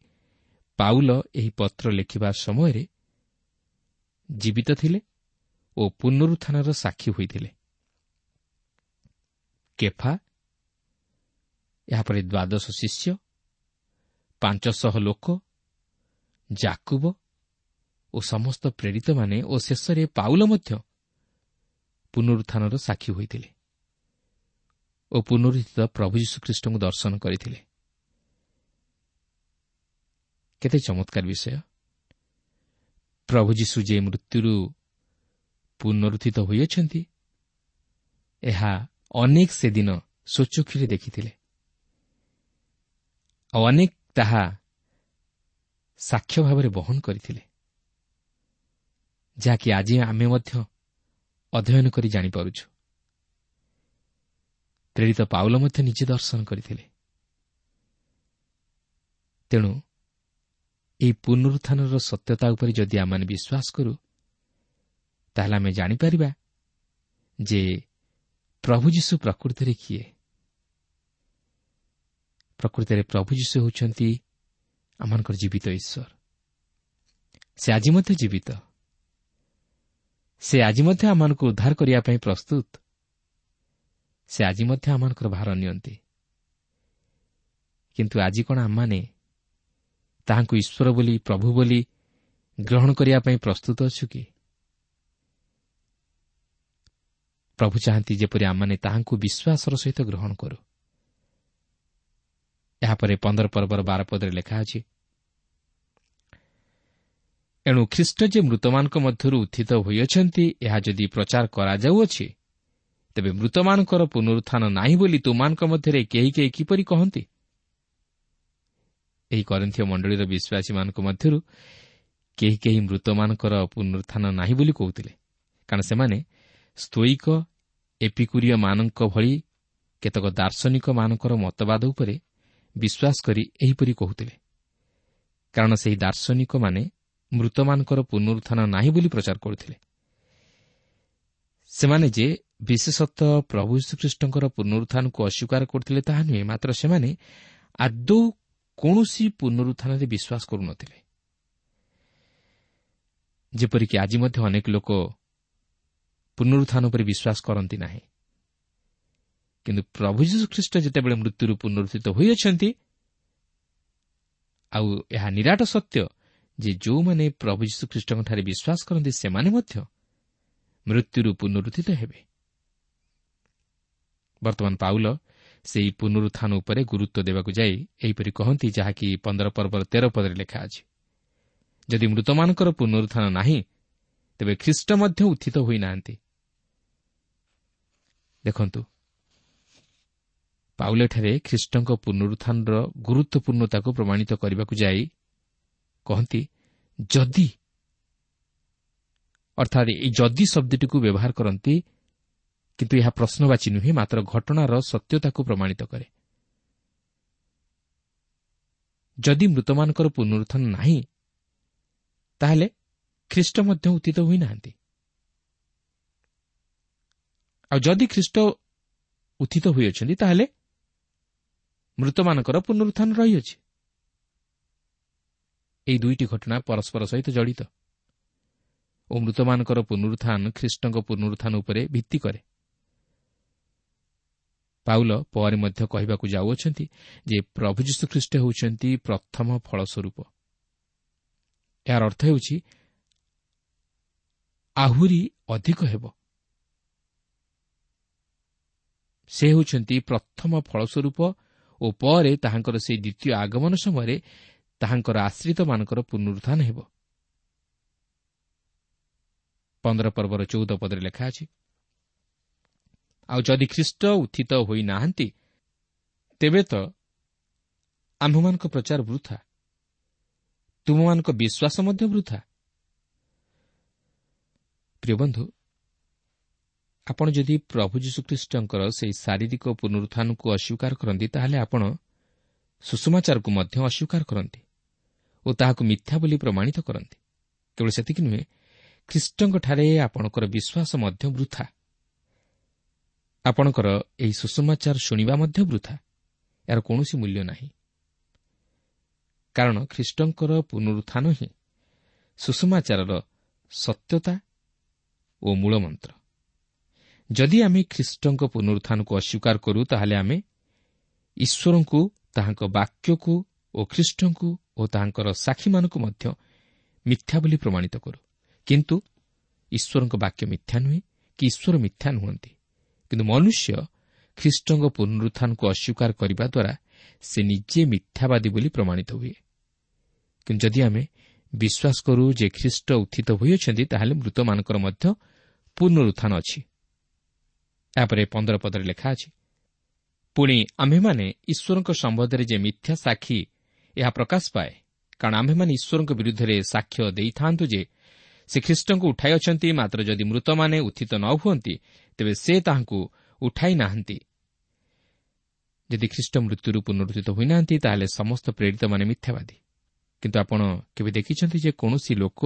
ପାଉଲ ଏହି ପତ୍ର ଲେଖିବା ସମୟରେ ଜୀବିତ ଥିଲେ ଓ ପୁନରୁତ୍ଥାନର ସାକ୍ଷୀ ହୋଇଥିଲେ। କେଫା, ଏହାପରେ ଦ୍ୱାଦଶ ଶିଷ୍ୟ, 500 ଲୋକ, ଜାକୁବ ଓ ସମସ୍ତ ପ୍ରେରିତମାନେ ଓ ଶେଷରେ ପାଉଲ ମଧ୍ୟ ପୁନରୁତ୍ଥାନର ସାକ୍ଷୀ ହୋଇଥିଲେ ଓ ପୁନରୁତ୍ଥିତ ପ୍ରଭୁ ଯୀଶୁଖ୍ରୀଷ୍ଟଙ୍କୁ ଦର୍ଶନ କରିଥିଲେ। କେତେ ଚମତ୍କାର ବିଷୟ! ପ୍ରଭୁ ଯୀଶୁ ଯେ ମୃତ୍ୟୁରୁ ପୁନରୁତ୍ଥିତ ହୋଇଅଛନ୍ତି, ଏହା ଅନେକ ସେଦିନ ସ୍ୱଚକ୍ଷୁରେ ଦେଖିଥିଲେ ଆଉ ଅନେକ ତାହା ସାକ୍ଷ୍ୟ ଭାବରେ ବହନ କରିଥିଲେ, ଯାହାକି ଆଜି ଆମେ ମଧ୍ୟ ଅଧ୍ୟୟନ କରି ଜାଣିପାରୁଛୁ। ପ୍ରେରିତ ପାଉଲ ମଧ୍ୟ ନିଜେ ଦର୍ଶନ କରିଥିଲେ। ତେଣୁ ଏହି ପୁନରୁତ୍ଥାନର ସତ୍ୟତା ଉପରେ ଯଦି ଆମେମାନେ ବିଶ୍ୱାସ କରୁ, ତାହେଲେ ଆମେ ଜାଣିପାରିବା ଯେ ପ୍ରଭୁ ଯୀଶୁ ପ୍ରକୃତରେ କିଏ। ପ୍ରକୃତରେ ପ୍ରଭୁ ଯୀଶୁ ହେଉଛନ୍ତି ଆମମାନଙ୍କର ଜୀବିତ ଈଶ୍ୱର। ସେ ଆଜି ମଧ୍ୟ ଜୀବିତ। ସେ ଆଜି ମଧ୍ୟ ଆମମାନଙ୍କୁ ଉଦ୍ଧାର କରିବା ପାଇଁ ପ୍ରସ୍ତୁତ। ସେ ଆଜି ମଧ୍ୟ ଆମମାନଙ୍କର ଭାର ନିଅନ୍ତି। କିନ୍ତୁ ଆଜି କ'ଣ ଆମମାନେ ତାହାଙ୍କୁ ଈଶ୍ୱର ବୋଲି, ପ୍ରଭୁ ବୋଲି ଗ୍ରହଣ କରିବା ପାଇଁ ପ୍ରସ୍ତୁତ ଅଛୁ କି? ପ୍ରଭୁ ଚାହାନ୍ତି ଯେପରି ଆମମାନେ ତାହାଙ୍କୁ ବିଶ୍ୱାସର ସହିତ ଗ୍ରହଣ କରୁ। ଏହାପରେ 15 ପର୍ବର 12 ପଦରେ ଲେଖା ଅଛି, ଏଣୁ ଖ୍ରୀଷ୍ଟ ଯେ ମୃତମାନଙ୍କ ମଧ୍ୟରୁ ଉତ୍ଥିତ ହୋଇଅଛନ୍ତି, ଏହା ଯଦି ପ୍ରଚାର କରାଯାଉଅଛି, ତେବେ ମୃତମାନଙ୍କର ପୁନରୁତ୍ଥାନ ନାହିଁ ବୋଲି ତୁମମାନଙ୍କ ମଧ୍ୟରେ କେହି କେହି କିପରି କହନ୍ତି? ଏହି କରିନ୍ଥୀୟ ମଣ୍ଡଳୀର ବିଶ୍ୱାସୀମାନଙ୍କ ମଧ୍ୟରୁ କେହି କେହି ମୃତମାନଙ୍କର ପୁନରୁତ୍ଥାନ ନାହିଁ ବୋଲି କହୁଥିଲେ, କାରଣ ସେମାନେ ସ୍ତୋଇକ ଏପିକୁରୀୟମାନଙ୍କ ଭଳି କେତେକ ଦାର୍ଶନିକମାନଙ୍କର ମତବାଦ ଉପରେ ବିଶ୍ୱାସ କରି ଏହିପରି କହୁଥିଲେ, କାରଣ ସେହି ଦାର୍ଶନିକମାନେ ମୃତମାନଙ୍କର ପୁନରୁତ୍ଥାନ ନାହିଁ ବୋଲି ପ୍ରଚାର କରୁଥିଲେ। ସେମାନେ ଯେ ବିଶେଷତଃ ପ୍ରଭୁ ଯୀଶୁଖ୍ରୀଷ୍ଟଙ୍କର ପୁନରୁତ୍ଥାନକୁ ଅସ୍ୱୀକାର କରୁଥିଲେ ତାହା ନୁହେଁ, ମାତ୍ର ସେମାନେ ଆଦୌ କୌଣସି ପୁନରୁତ୍ଥାନରେ ବିଶ୍ୱାସ କରୁନଥିଲେ। ଯେପରିକି ଆଜି ମଧ୍ୟ ଅନେକ ଲୋକ ପୁନରୁତ୍ଥାନ ଉପରେ ବିଶ୍ୱାସ କରନ୍ତି ନାହିଁ, କିନ୍ତୁ ପ୍ରଭୁ ଯୀଶୁଖ୍ରୀଷ୍ଟ ଯେତେବେଳେ ମୃତ୍ୟୁରୁ ପୁନରୁତ୍ଥିତ ହୋଇଅଛନ୍ତି, ଆଉ ଏହା ନିରାଟ ସତ୍ୟ ଯେ ଯେଉଁମାନେ ପ୍ରଭୁ ଯୀଶୁଖ୍ରୀଷ୍ଟଙ୍କଠାରେ ବିଶ୍ୱାସ କରନ୍ତି ସେମାନେ ମଧ୍ୟ ମୃତ୍ୟୁରୁ ପୁନରୁତ୍ଥିତ ହେବେ। ବର୍ତ୍ତମାନ ପାଉଲ ସେହି ପୁନରୁତ୍ଥାନ ଉପରେ ଗୁରୁତ୍ୱ ଦେବାକୁ ଯାଇ ଏହିପରି କହନ୍ତି, ଯାହାକି 15 ପର୍ବର 13 ପଦରେ ଲେଖା ଅଛି, ଯଦି ମୃତମାନଙ୍କର ପୁନରୁତ୍ଥାନ ନାହିଁ ତେବେ ଖ୍ରୀଷ୍ଟ ମଧ୍ୟ ଉତ୍ଥିତ ହୋଇନାହାନ୍ତି। ଦେଖନ୍ତୁ, ପାଉଲ ଏଠାରେ ଖ୍ରୀଷ୍ଟଙ୍କ ପୁନରୁତ୍ଥାନର ଗୁରୁତ୍ୱପୂର୍ଣ୍ଣତାକୁ ପ୍ରମାଣିତ କରିବାକୁ ଯାଇ କହନ୍ତି ଯଦି, ଅର୍ଥାତ୍ ଏହି ଯଦି ଶବ୍ଦଟିକୁ ବ୍ୟବହାର କରନ୍ତି, କିନ୍ତୁ ଏହା ପ୍ରଶ୍ନବାଚୀ ନୁହେଁ, ମାତ୍ର ଘଟଣାର ସତ୍ୟତାକୁ ପ୍ରମାଣିତ କରେ। ଯଦି ମୃତମାନଙ୍କର ପୁନରୁତ୍ଥାନ ନାହିଁ ତାହେଲେ ଖ୍ରୀଷ୍ଟ ମଧ୍ୟ ଉତ୍ଥିତ ହୋଇନାହାନ୍ତି, ଆଉ ଯଦି ଖ୍ରୀଷ୍ଟ ଉତ୍ଥିତ ହୋଇଅଛନ୍ତି ତାହେଲେ ମୃତମାନଙ୍କର ପୁନରୁତ୍ଥାନ ରହିଅଛି। ଏହି ଦୁଇଟି ଘଟଣା ପରସ୍ପର ସହିତ ଜଡ଼ିତ ଓ ମୃତମାନଙ୍କର ପୁନରୁତ୍ଥାନ ଖ୍ରୀଷ୍ଟଙ୍କ ପୁନରୁତ୍ଥାନ ଉପରେ ଭିତ୍ତି କରେ। ପାଉଲ ପରେ ମଧ୍ୟ କହିବାକୁ ଯାଉଅଛନ୍ତି ଯେ ପ୍ରଭୁ ଯୀଶୁଖ୍ରୀଷ୍ଟ ହେଉଛନ୍ତି ପ୍ରଥମ ଫଳସ୍ୱରୂପ। ଏହାର ଅର୍ଥ ହେଉଛି ଆହୁରି ଅଧିକ ହେବ। ସେ ହେଉଛନ୍ତି ପ୍ରଥମ ଫଳସ୍ୱରୂପ ଓ ପରେ ତାହାଙ୍କର ସେହି ଦ୍ୱିତୀୟ ଆଗମନ ସମୟରେ ତାହାଙ୍କର ଆଶ୍ରିତମାନଙ୍କର ପୁନରୁତ୍ଥାନ ହେବ। 15 ପର୍ବର 14 ପଦରେ ଲେଖା ଅଛି, ଆଉ ଯଦି ଖ୍ରୀଷ୍ଟ ଉତ୍ଥିତ ହୋଇନାହାନ୍ତି ତେବେ ତ ଆମ୍ଭମାନଙ୍କ ପ୍ରଚାର ବୃଥା, ତୁମମାନଙ୍କ ବିଶ୍ୱାସ ମଧ୍ୟ ବୃଥା। ପ୍ରିୟ ବନ୍ଧୁ, ଆପଣ ଯଦି ପ୍ରଭୁ ଯୀଶୁଖ୍ରୀଷ୍ଟଙ୍କର ସେହି ଶାରୀରିକ ପୁନରୁତ୍ଥାନକୁ ଅସ୍ୱୀକାର କରନ୍ତି ତାହେଲେ ଆପଣ ସୁସମାଚାରକୁ ମଧ୍ୟ ଅସ୍ୱୀକାର କରନ୍ତି ଓ ତାହାକୁ ମିଥ୍ୟା ବୋଲି ପ୍ରମାଣିତ କରନ୍ତି। କେବଳ ସେତିକି ନୁହେଁ, ଖ୍ରୀଷ୍ଟଙ୍କଠାରେ ଆପଣଙ୍କର ବିଶ୍ୱାସ ମଧ୍ୟ ବୃଥା, ଆପଣଙ୍କର ଏହି ସୁସମାଚାର ଶୁଣିବା ମଧ୍ୟ ବୃଥା, ଏହାର କୌଣସି ମୂଲ୍ୟ ନାହିଁ। କାରଣ ଖ୍ରୀଷ୍ଟଙ୍କର ପୁନରୁତ୍ଥାନ ହିଁ ସୁସମାଚାରର ସତ୍ୟତା ଓ ମୂଳମନ୍ତ୍ର। ଯଦି ଆମେ ଖ୍ରୀଷ୍ଟଙ୍କ ପୁନରୁତ୍ଥାନକୁ ଅସ୍ୱୀକାର କରୁ ତାହେଲେ ଆମେ ଈଶ୍ୱରଙ୍କୁ, ତାହାଙ୍କ ବାକ୍ୟକୁ ଓ ଖ୍ରୀଷ୍ଟଙ୍କୁ ଓ ତାହାଙ୍କର ସାକ୍ଷୀମାନଙ୍କୁ ମଧ୍ୟ ମିଥ୍ୟା ବୋଲି ପ୍ରମାଣିତ କରୁ। କିନ୍ତୁ ଈଶ୍ୱରଙ୍କ ବାକ୍ୟ ମିଥ୍ୟା ନୁହେଁ କି ଈଶ୍ୱର ମିଥ୍ୟା ନୁହନ୍ତି, କିନ୍ତୁ ମନୁଷ୍ୟ ଖ୍ରୀଷ୍ଟଙ୍କ ପୁନରୁତ୍ଥାନକୁ ଅସ୍ୱୀକାର କରିବା ଦ୍ୱାରା ସେ ନିଜେ ମିଥ୍ୟାବାଦୀ ବୋଲି ପ୍ରମାଣିତ ହୁଏ। କିନ୍ତୁ ଯଦି ଆମେ ବିଶ୍ୱାସ କରୁ ଯେ ଖ୍ରୀଷ୍ଟ ଉତ୍ଥିତ ହୋଇଅଛନ୍ତି ତାହେଲେ ମୃତମାନଙ୍କର ମଧ୍ୟ ପୁନରୁତ୍ଥାନ ଅଛି। ଏହାପରେ 15 ପଦରେ ଲେଖା ଅଛି, ପୁଣି ଆମ୍ଭେମାନେ ଈଶ୍ୱରଙ୍କ ସମ୍ବନ୍ଧରେ ଯେ ମିଥ୍ୟା ସାକ୍ଷୀ ଏହା ପ୍ରକାଶ ପାଏ, କାରଣ ଆମ୍ଭେମାନେ ଈଶ୍ୱରଙ୍କ ବିରୁଦ୍ଧରେ ସାକ୍ଷ୍ୟ ଦେଇଥାନ୍ତୁ ଯେ ସେ ଖ୍ରୀଷ୍ଟଙ୍କୁ ଉଠାଇ ଅଛନ୍ତି, ମାତ୍ର ଯଦି ମୃତମାନେ ଉତ୍ଥିତ ନ ହୁଅନ୍ତି ତେବେ ସେ ତାହାଙ୍କୁ ଉଠାଇ ନାହାନ୍ତି। ଯଦି ଖ୍ରୀଷ୍ଟ ମୃତ୍ୟୁରୁ ପୁନରୁତ୍ଥିତ ହୋଇନାହାନ୍ତି ତାହେଲେ ସମସ୍ତ ପ୍ରେରିତମାନେ ମିଥ୍ୟାବାଦୀ। କିନ୍ତୁ ଆପଣ କେବେ ଦେଖିଛନ୍ତି ଯେ କୌଣସି ଲୋକ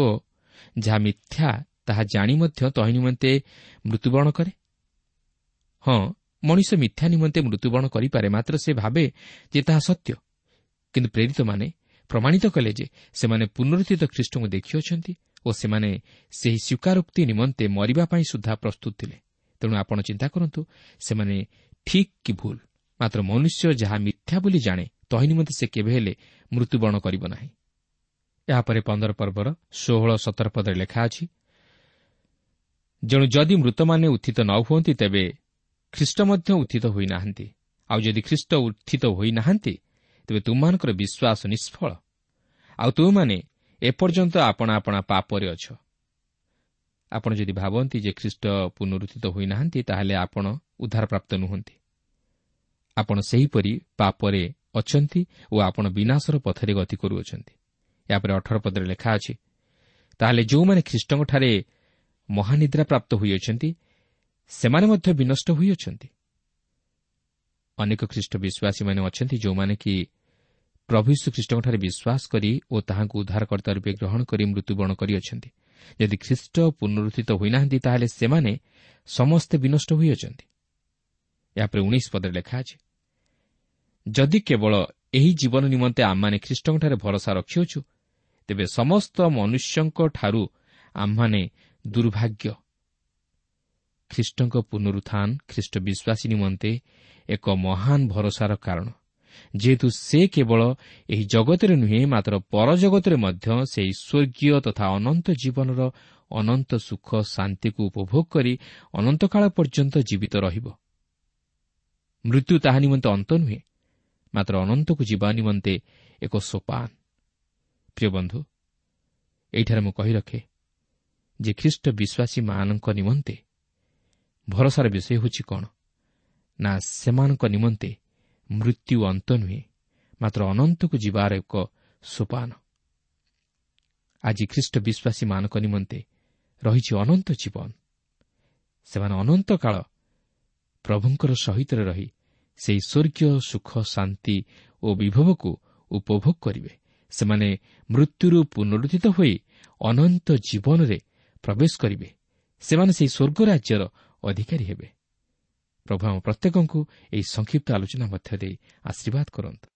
ଯାହା ମିଥ୍ୟା ତାହା ଜାଣି ମଧ୍ୟ ତହିଁ ନିମନ୍ତେ ମୃତ୍ୟୁବରଣ କରେ? ହଁ, ମଣିଷ ମିଥ୍ୟା ନିମନ୍ତେ ମୃତ୍ୟୁବରଣ କରିପାରେ, ମାତ୍ର ସେ ଭାବେ ଯେ ତାହା ସତ୍ୟ। କିନ୍ତୁ ପ୍ରେରିତମାନେ ପ୍ରମାଣିତ କଲେ ଯେ ସେମାନେ ପୁନରୁତ୍ଥିତ ଖ୍ରୀଷ୍ଟଙ୍କୁ ଦେଖିଅଛନ୍ତି ଓ ସେମାନେ ସେହି ସ୍ୱୀକାରୋକ୍ତି ନିମନ୍ତେ ମରିବା ପାଇଁ ସୁଦ୍ଧା ପ୍ରସ୍ତୁତ ଥିଲେ। ତେଣୁ ଆପଣ ଚିନ୍ତା କରନ୍ତୁ, ସେମାନେ ଠିକ୍ କି ଭୁଲ? ମାତ୍ର ମନୁଷ୍ୟ ଯାହା ମିଥ୍ୟା ବୋଲି ଜାଣେ ତହିଁ ନିମନ୍ତେ ସେ କେବେ ହେଲେ ମୃତ୍ୟୁବରଣ କରିବ ନାହିଁ। ଏହାପରେ 15 ପର୍ବର 16-17 ପଦରେ ଲେଖା ଅଛି, ଯେଣୁ ଯଦି ମୃତମାନେ ଉତ୍ଥିତ ନ ହୁଅନ୍ତି ତେବେ ଖ୍ରୀଷ୍ଟ ମଧ୍ୟ ଉତ୍ଥିତ ହୋଇନାହାନ୍ତି, ଆଉ ଯଦି ଖ୍ରୀଷ୍ଟ ଉତ୍ଥିତ ହୋଇନାହାନ୍ତି ତେବେ ତୁମମାନଙ୍କର ବିଶ୍ୱାସ ନିଷ୍ଫଳ, ଆଉ ତୁମେମାନେ ଏପର୍ଯ୍ୟନ୍ତ ଆପଣା ଆପଣା ପାପରେ ଅଛ। ଆପଣ ଯଦି ଭାବନ୍ତି ଯେ ଖ୍ରୀଷ୍ଟ ପୁନରୁତ୍ଥିତ ହୋଇନାହାନ୍ତି, ତାହେଲେ ଆପଣ ଉଦ୍ଧାରପ୍ରାପ୍ତ ନୁହନ୍ତି। ଆପଣ ସେହିପରି ପାପରେ ଅଛନ୍ତି ଓ ଆପଣ ବିନାଶର ପଥରେ ଗତି କରୁଅଛନ୍ତି। ଏହାପରେ 18 ପଦରେ ଲେଖା ଅଛି, ତାହେଲେ ଯେଉଁମାନେ ଖ୍ରୀଷ୍ଟଙ୍କଠାରେ ମହାନିଦ୍ରା ପ୍ରାପ୍ତ ହୋଇଅଛନ୍ତି, ସେମାନେ ମଧ୍ୟ ବିନଷ୍ଟ ହୋଇଅଛନ୍ତି। ଅନେକ ଖ୍ରୀଷ୍ଟ ବିଶ୍ୱାସୀମାନେ ଅଛନ୍ତି, ଯେଉଁମାନେ କି ପ୍ରଭୁ ଯୀଶୁ ଖ୍ରୀଷ୍ଟଙ୍କଠାରେ ବିଶ୍ୱାସ କରି ଓ ତାହାଙ୍କୁ ଉଦ୍ଧାରକର୍ତ୍ତା ରୂପେ ଗ୍ରହଣ କରି ମୃତ୍ୟୁବରଣ କରିଅଛନ୍ତି। ଯଦି ଖ୍ରୀଷ୍ଟ ପୁନରୁତ୍ଥିତ ହୋଇନାହାନ୍ତି, ତାହେଲେ ସେମାନେ ସମସ୍ତେ ବିନଷ୍ଟ ହୋଇଅଛନ୍ତି। ଏହାପରେ 19 ପଦରେ ଲେଖା ଅଛି, ଯଦି କେବଳ ଏହି ଜୀବନ ନିମନ୍ତେ ଆମମାନେ ଖ୍ରୀଷ୍ଟଙ୍କଠାରେ ଭରସା ରଖିଅଛୁ, ତେବେ ସମସ୍ତ ମନୁଷ୍ୟଙ୍କଠାରୁ ଆମ୍ଭମାନେ ଦୁର୍ଭାଗ୍ୟ। ଖ୍ରୀଷ୍ଟଙ୍କ ପୁନରୁତ୍ଥାନ ଖ୍ରୀଷ୍ଟ ବିଶ୍ୱାସୀ ନିମନ୍ତେ ଏକ ମହାନ ଭରସାର କାରଣ, ଯେହେତୁ ସେ କେବଳ ଏହି ଜଗତରେ ନୁହେଁ, ମାତ୍ର ପରଜଗତରେ ମଧ୍ୟ ସେହି ସ୍ୱର୍ଗୀୟ ତଥା ଅନନ୍ତ ଜୀବନର ଅନନ୍ତ ସୁଖ ଶାନ୍ତିକୁ ଉପଭୋଗ କରି ଅନନ୍ତକାଳ ପର୍ଯ୍ୟନ୍ତ ଜୀବିତ ରହିବ। ମୃତ୍ୟୁ ତାହା ନିମନ୍ତେ ଅନ୍ତ ନୁହେଁ, ମାତ୍ର ଅନନ୍ତକୁ ଯିବା ନିମନ୍ତେ ଏକ ସୋପାନ। ପ୍ରିୟ ବନ୍ଧୁ, ଏଇଠାରେ ମୁଁ କହି ରଖେ ଯେ ଖ୍ରୀଷ୍ଟ ବିଶ୍ୱାସୀମାନଙ୍କ ନିମନ୍ତେ ଭରସାର ବିଷୟ ହେଉଛି କ'ଣ ନା, ସେମାନଙ୍କ ନିମନ୍ତେ ମୃତ୍ୟୁ ଅନ୍ତ ନୁହେଁ, ମାତ୍ର ଅନନ୍ତକୁ ଯିବାର ଏକ ସୋପାନ। ଆଜି ଖ୍ରୀଷ୍ଟ ବିଶ୍ୱାସୀମାନଙ୍କ ନିମନ୍ତେ ରହିଛି ଅନନ୍ତ ଜୀବନ। ସେମାନେ ଅନନ୍ତକାଳ ପ୍ରଭୁଙ୍କର ସହିତରେ ରହି ସେହି ସ୍ୱର୍ଗୀୟ ସୁଖ, ଶାନ୍ତି ଓ ବିଭବକୁ ଉପଭୋଗ କରିବେ। ସେମାନେ ମୃତ୍ୟୁରୁ ପୁନରୁତ୍ଥିତ ହୋଇ ଅନନ୍ତ ଜୀବନରେ ପ୍ରବେଶ କରିବେ। ସେମାନେ ସେହି ସ୍ୱର୍ଗ ରାଜ୍ୟର ଅଧିକାରୀ ହେବେ। ପ୍ରଭୁ ଆମ ପ୍ରତ୍ୟେକଙ୍କୁ ଏହି ସଂକ୍ଷିପ୍ତ ଆଲୋଚନା ମଧ୍ୟ ଦେଇ ଆଶୀର୍ବାଦ କରନ୍ତୁ।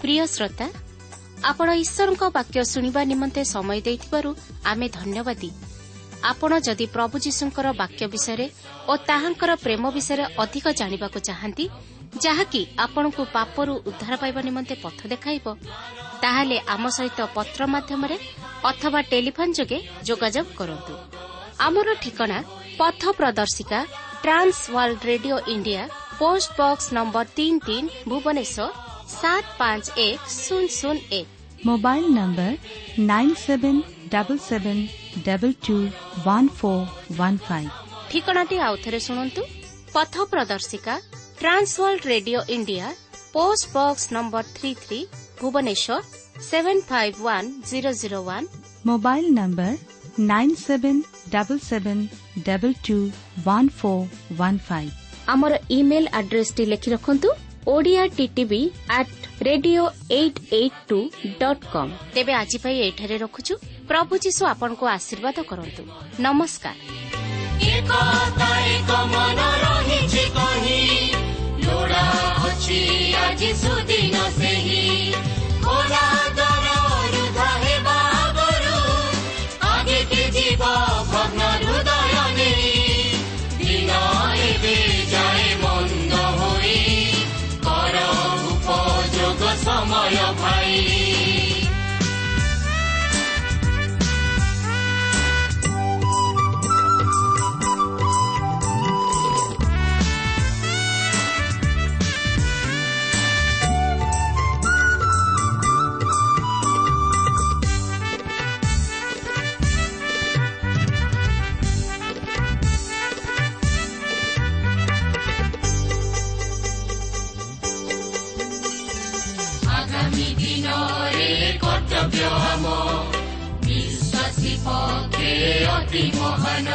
ପ୍ରିୟ ଶ୍ରୋତା, ଆପଣ ଈଶ୍ୱରଙ୍କ ବାକ୍ୟ ଶୁଣିବା ନିମନ୍ତେ ସମୟ ଦେଇଥିବାରୁ ଆମେ ଧନ୍ୟବାଦୀ। ଆପଣ ଯଦି ପ୍ରଭୁ ଯୀଶୁଙ୍କର ବାକ୍ୟ ବିଷୟରେ ଓ ତାହାଙ୍କର ପ୍ରେମ ବିଷୟରେ ଅଧିକ ଜାଣିବାକୁ ଚାହାନ୍ତି, ଯାହାକି ଆପଣଙ୍କୁ ପାପରୁ ଉଦ୍ଧାର ପାଇବା ନିମନ୍ତେ ପଥ ଦେଖାଇବ, ତାହେଲେ ଆମ ସହିତ ପତ୍ର ମାଧ୍ୟମରେ ଅଥବା ଟେଲିଫୋନ୍ ଯୋଗେ ଯୋଗାଯୋଗ କରନ୍ତୁ। ଆମର ଠିକଣା ପଥ ପ୍ରଦର୍ଶିକା, Trans World Radio India, post box number 33, Bhubaneswar 751001। Mobile number 9777221415। ଠିକଣାଟି ଆଉଥରେ ଶୁଣନ୍ତୁ। ପଥ ପ୍ରଦର୍ଶିକା, Trans World Radio India, post box number 33, Bhubaneswar 751001। Mobile number 9777221415। ଆମର ଇମେଲ୍ ଆଡ୍ରେସଟି ଲେଖି ରଖନ୍ତୁ, Odia TTV at radio 882.com। ତେବେ ଆଜି ପାଇଁ ଏଇଠାରେ ରଖୁଛୁ। ପ୍ରଭୁ ଯୀଶୁ ଆପଣଙ୍କୁ ଆଶୀର୍ବାଦ କରନ୍ତୁ। ନମସ୍କାର। ଏକତା ଏକ ମନ ରହିଛି କହି, ଲୋଡ଼ା ଅଛି ଆଜି ସୁଦିନ ସେହି। ଖୋଲା ଦ୍ୱାର ରୁଦ୍ଧ ହେବା ଆଗରୁ ଆଗେକି ଯିବ ଭଗ୍ନ ହୃଦୟ ନେଇ। ଦିନ ଏବେ ଯାଏ ମନ୍ଦ ହୋଇ, କର ଉପଯୋଗ ସମୟ ଭାଇ। ଆଗାମୀ ଦିନରେ କର୍ତ୍ତବ୍ୟ ଆମ ବିଶ୍ୱାସୀ ପକ୍ଷେ ଅତି ମହାନ।